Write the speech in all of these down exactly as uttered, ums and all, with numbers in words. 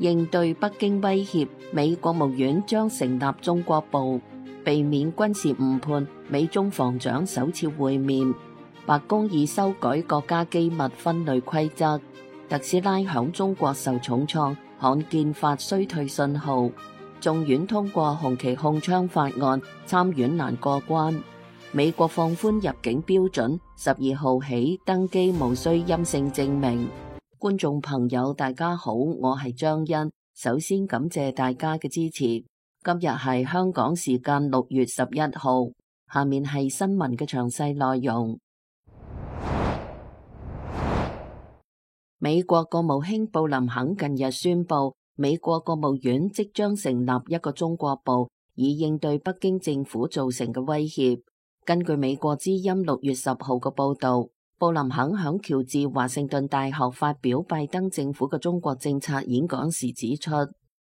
應對北京威脅，美國務院將成立中國部，避免軍事誤判。美中防長首次會面，白宮已修改國家機密分類規則。特斯拉響中國受重創，罕見發衰退信號。眾院通過紅旗控槍法案，參院難過關。美國放寬入境標準，十二號起登機無需陰性證明。觀眾朋友大家好，我係張欣，首先感謝大家嘅支持。今日係香港時間六月十一號，下面係新聞嘅詳細內容。美國國務卿布林肯近日宣布，美國國務院即將成立一個中國部，以應對北京政府造成嘅威脅。根據美國之音六月十號嘅報道，布林肯響喬治華盛頓大學發表拜登政府嘅中國政策演講時指出，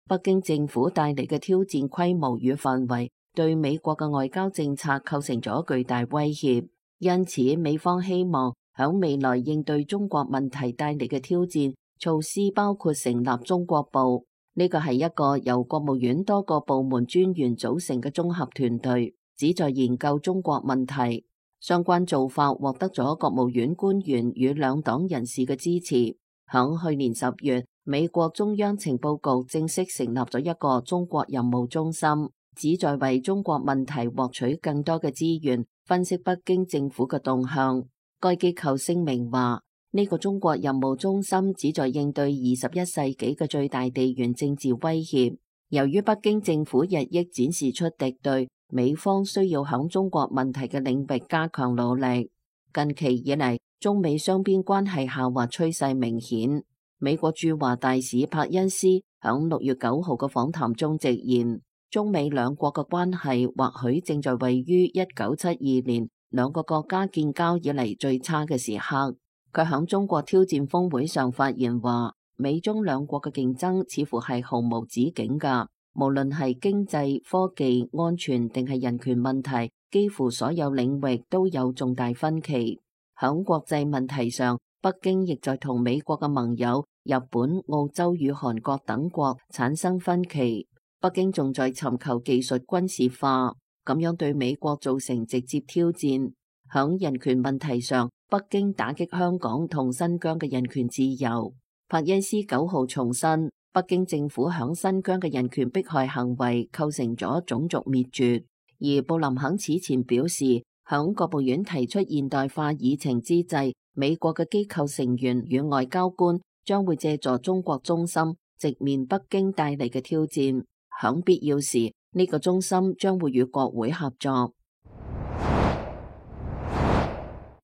北京政府帶嚟嘅挑戰規模與範圍對美國嘅外交政策構成咗巨大威脅，因此美方希望響未來應對中國問題帶嚟嘅挑戰，措施包括成立中國部，呢個係一個由國務院多個部門專員組成嘅綜合團隊，旨在研究中國問題。相關做法獲得咗國務院官員與兩黨人士嘅支持。響去年十月，美國中央情報局正式成立咗一個中國任務中心，旨在為中國問題獲取更多嘅資源，分析北京政府嘅動向。該機構聲明話，呢個中國任務中心旨在應對二十一世紀嘅最大地緣政治威脅。由於北京政府日益展示出敵對，美方需要響中國問題嘅領域加強努力。近期以嚟，中美雙邊關係下滑趨勢明顯。美國駐華大使柏恩斯響六月九號嘅訪談中直言，中美兩國嘅關係或許正在位於一九七二年兩個國家建交以嚟最差嘅時刻。佢響中國挑戰峰會上發言話，美中兩國嘅競爭似乎係毫無止境㗎。無論係經濟、科技、安全定係人權問題，幾乎所有領域都有重大分歧。響國際問題上，北京亦在同美國嘅盟友日本、澳洲與韓國等國產生分歧。北京仲在尋求技術軍事化，咁樣對美國造成直接挑戰。響人權問題上，北京打擊香港同新疆嘅人權自由。柏恩斯九號重申，北京政府響新疆嘅人權迫害行為構成咗種族滅絕。而布林肯此前表示，響國務院提出現代化議程之際，美國嘅機構成員與外交官將會借助中國中心直面北京帶嚟嘅挑戰。響必要時，呢個中心將會與國會合作。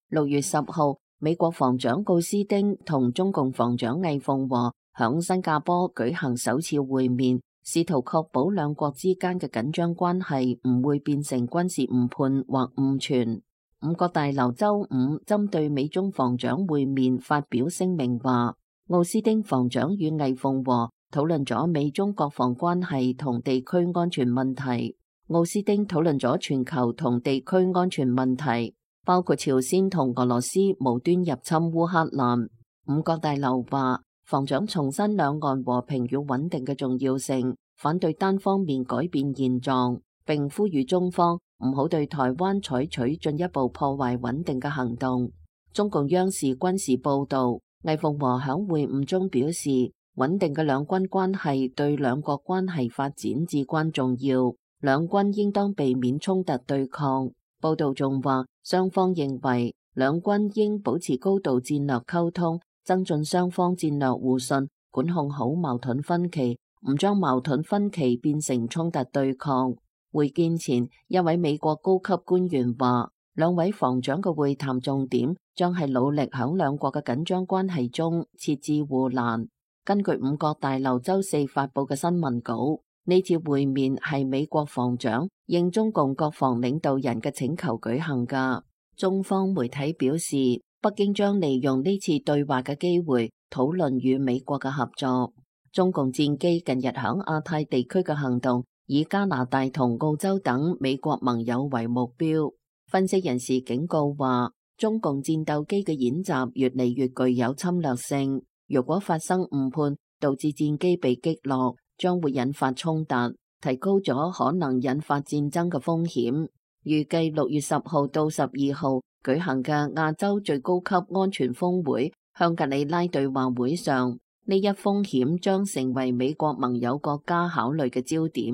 六月十號，美國防長奧斯汀同中共防長魏鳳和響新加坡舉行首次會面，試圖確保兩國之間嘅緊張關係唔會變成軍事誤判或誤傳。五角大樓周五針對美中防長會面發表聲明話，奧斯汀防長與魏鳳和討論咗美中國防關係同地區安全問題。奧斯汀討論咗全球同地區安全問題，包括朝鮮同俄羅斯無端入侵烏克蘭。五角大樓話，防長重申兩岸和平與穩定嘅重要性，反對單方面改變現狀，並呼籲中方唔好對台灣採取進一步破壞穩定嘅行動。中共央視軍事報道，魏鳳和響會晤中表示，穩定嘅兩軍關係對兩國關係發展至關重要，兩軍應當避免衝突對抗。報道仲話，雙方認為兩軍應保持高度戰略溝通，增進雙方戰略互信，管控好矛盾分歧，唔將矛盾分歧變成衝突對抗。會見前，一位美國高級官員話，兩位防長嘅會談重點將係努力響兩國嘅緊張關係中設置護欄。根據五角大樓周四發布嘅新聞稿，呢次會面係美國防長應中共國防領導人嘅請求舉行㗎。中方媒體表示，北京將利用呢次對話嘅機會討論與美國嘅合作。中共戰機近日響亞太地區嘅行動以加拿大同澳洲等美國盟友為目標。分析人士警告話，中共戰鬥機嘅演習越嚟越具有侵略性，如果發生誤判，導致戰機被擊落，將會引發衝突，提高咗可能引發戰爭嘅風險。預計六月十號到十二號舉行嘅亞洲最高級安全峰會香格里拉對話會上，呢一風險將成為美國盟友國家考慮嘅焦點。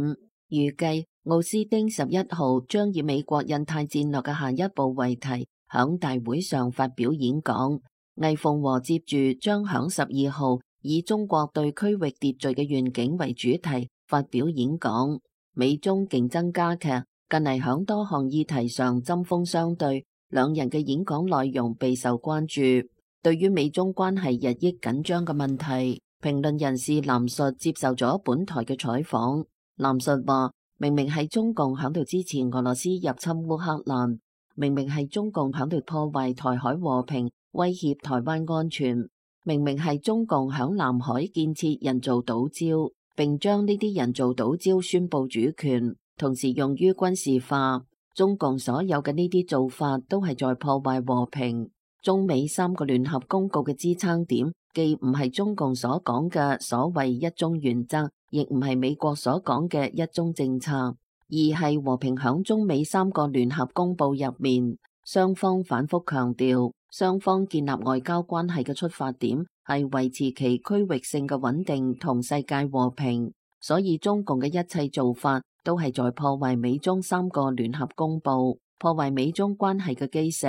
預計奧斯汀十一號將以美國印太戰略嘅下一步為題，響大會上發表演講。魏鳳和接住將響十二號以中國對區域秩序嘅願景為主題發表演講。美中競爭加劇，近嚟響多項議題上針鋒相對，兩人嘅演講內容備受關注。對於美中關係日益緊張嘅問題，評論人士藍述接受咗本台嘅採訪。藍述話：明明係中共響度支持俄羅斯入侵烏克蘭，明明係中共響度破壞台海和平，威脅台灣安全，明明係中共響南海建設人造島礁，並將呢啲人造島礁宣布主權，同時用於軍事化。中共所有嘅呢啲做法都係在破壞和平。中美三個聯合公告嘅支撐點，既唔係中共所講嘅所謂一中原則，亦唔係美國所講嘅一中政策，而係和平。響中美三個聯合公報入面，雙方反覆強調，雙方建立外交關係嘅出發點係維持其區域性嘅穩定同世界和平，所以中共嘅一切做法都係在破壞美中三個聯合公報，破壞美中關係嘅基石。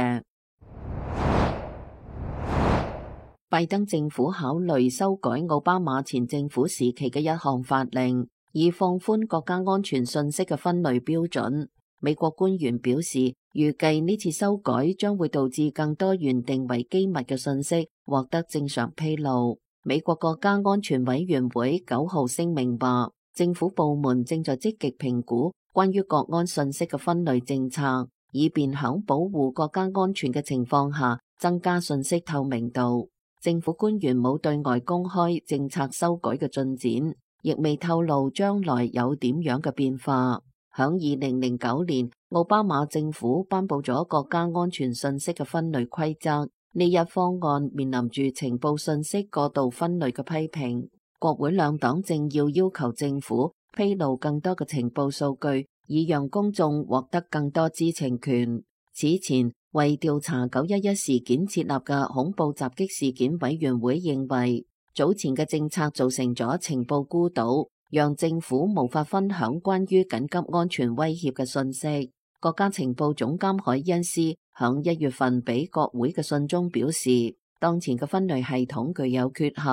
拜登政府考慮修改奧巴馬前政府時期嘅一項法令，以放寬國家安全信息嘅分類標準。美國官員表示，預計呢次修改將會導致更多原定為機密嘅信息獲得正常披露。美國國家安全委員會九號聲明話，政府部門正在積極評估關於國安信息嘅分類政策，以便響保護國家安全嘅情況下增加信息透明度。政府官員冇對外公開政策修改嘅進展，亦未透露將來有點樣嘅變化。響二零零九年，奧巴馬政府頒布咗國家安全信息嘅分類規則，呢一方案面臨住情報信息過度分類嘅批評。國會兩黨正要要求政府披露更多嘅情報數據，以讓公眾獲得更多知情權。此前，為調查九一一事件設立嘅恐怖襲擊事件委員會認為，早前嘅政策造成咗情報孤島，讓政府無法分享關於緊急安全威脅嘅信息。國家情報總監海恩斯響一月份俾國會嘅信中表示，當前嘅分類系統具有缺陷，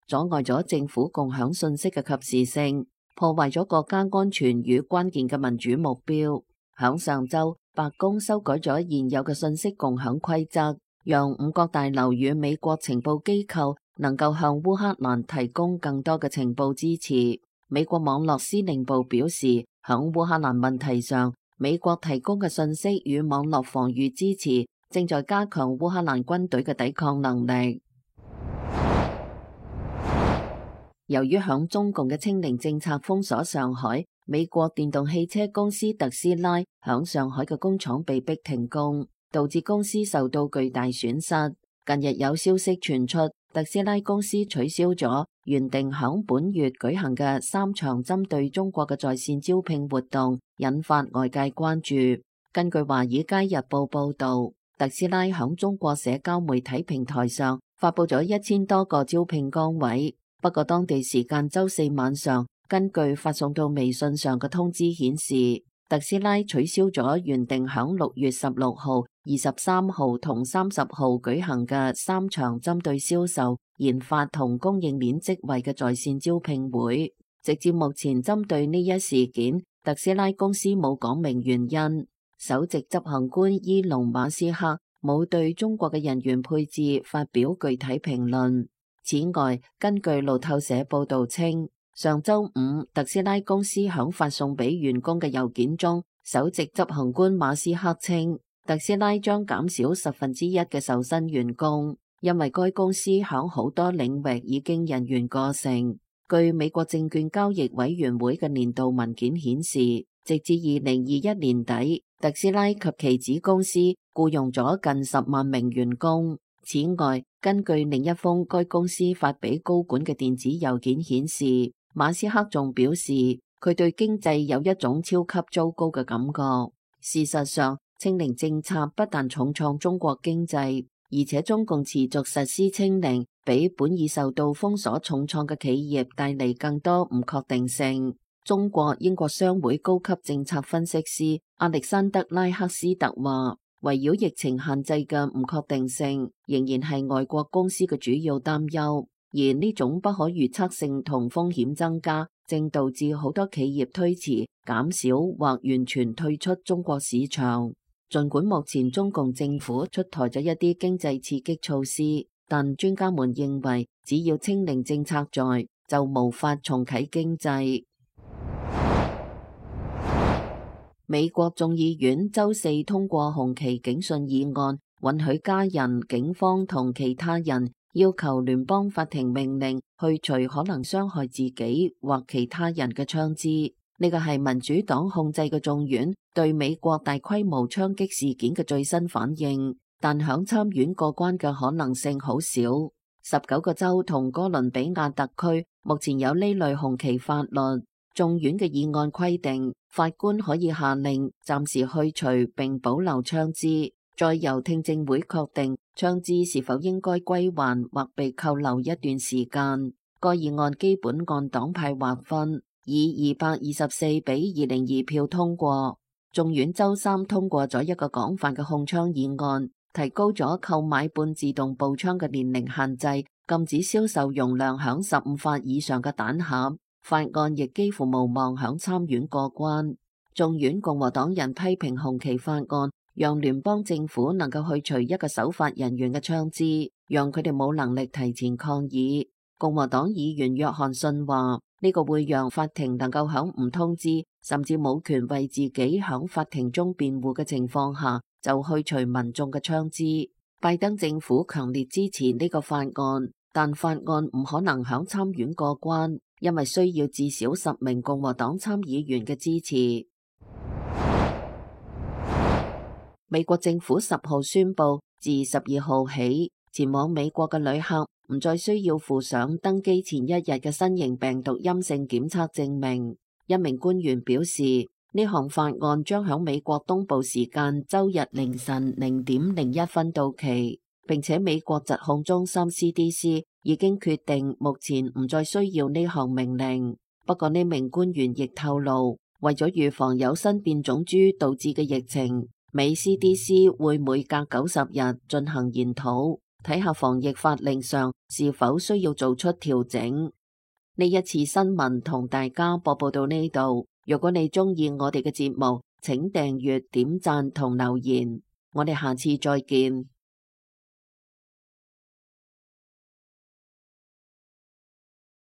阻礙咗政府共享信息嘅及時性，破壞咗國家安全與關鍵嘅民主目標。響上周，白宮修改咗現有嘅信息共享規則，讓五角大樓與美國情報機構能夠向烏克蘭提供更多嘅情報支持。美國網絡司令部表示，響烏克蘭問題上，美國提供嘅信息與網絡防禦支持正在加強烏克蘭軍隊嘅抵抗能力。由於響中共嘅清零政策封鎖上海，美國電動汽車公司特斯拉響上海嘅工廠被迫停工，導致公司受到巨大損失。近日有消息傳出，特斯拉公司取消咗原定響本月舉行嘅三場針對中國嘅在線招聘活動，引發外界關注。根據華爾街日報報道，特斯拉響中國社交媒體平台上發佈咗一千多個招聘崗位。不過當地時間周四晚上，根據發送到微信上嘅通知顯示，特斯拉取消咗原定響六月十六號、二十三號同三十號舉行嘅三場針對銷售、研發同供應鏈職位嘅在線招聘會。直至目前，針對呢一事件，特斯拉公司冇講明原因。首席執行官伊隆馬斯克冇對中國嘅人員配置發表具體評論。此外，根據路透社報道稱，上周五特斯拉公司響發送俾員工嘅郵件中，首席執行官馬斯克稱，特斯拉將減少十分之一嘅受薪員工，因為該公司響好多領域已經人員過剩。據美國證券交易委員會嘅年度文件顯示，直至二零二一年底，特斯拉及其子公司僱傭咗近十萬名員工。此外，根據另一封該公司發俾高管嘅電子郵件顯示，馬斯克仲表示佢對經濟有一種超級糟糕嘅感覺。事實上，清零政策不但重創中國經濟，而且中共持續實施清零，俾本已受到封鎖重創嘅企業帶嚟更多唔確定性。中國英國商會高級政策分析師亞歷山德拉克斯特話，圍繞疫情限制嘅唔確定性仍然係外國公司嘅主要擔憂，而呢種不可預測性同風險增加，正導致好多企業推遲、減少或完全退出中國市場。儘管目前中共政府出台咗一啲經濟刺激措施，但專家們認為，只要清零政策在，就無法重啟經濟。美國眾議院週四通過紅旗警訊議案，允許家人、警方同其他人要求聯邦法庭命令去除可能傷害自己或其他人嘅槍支。呢個係民主黨控制嘅眾院對美國大規模槍擊事件嘅最新反應，但響參院過關嘅可能性好少。十九個州同哥倫比亞特區目前有呢類紅旗法律。眾院嘅議案規定，法官可以下令暫時去除並保留槍支，再由聽證會確定槍支是否應該歸還或被扣留一段時間。該議案基本按黨派劃分，以二百二十四比二零二票通過。眾院週三通過咗一個廣泛嘅控槍議案，提高咗購買半自動步槍嘅年齡限制，禁止銷售容量響十五發以上嘅彈匣。法案亦幾乎無望響參院過關。眾院共和黨人批評紅旗法案，讓聯邦政府能夠去除一個守法人員嘅槍支，讓佢哋冇能力提前抗議。共和黨議員約翰遜話：呢個會讓法庭能夠響唔通知，甚至冇權為自己響法庭中辯護嘅情況下，就去除民眾嘅槍支。拜登政府強烈支持呢個法案，但法案唔可能響參院過關，因為需要至少十名共和黨參議員嘅支持。美國政府十號宣布，自十二號起，前往美國嘅旅客唔再需要附上登機前一日嘅新型病毒陰性檢測證明。一名官員表示，呢項法案將響美國東部時間周日凌晨零點零一分到期，並且美國疾控中心 C D C 已經決定目前唔再需要呢項命令。不過呢名官員亦透露，為咗預防有新變種株導致嘅疫情，美 C D C 會每隔九十日進行研討，睇下防疫法令上是否需要做出調整。呢一次新聞同大家播報到呢度。如果你鍾意我哋嘅節目，請訂閱、點讚同留言。我哋下次再見。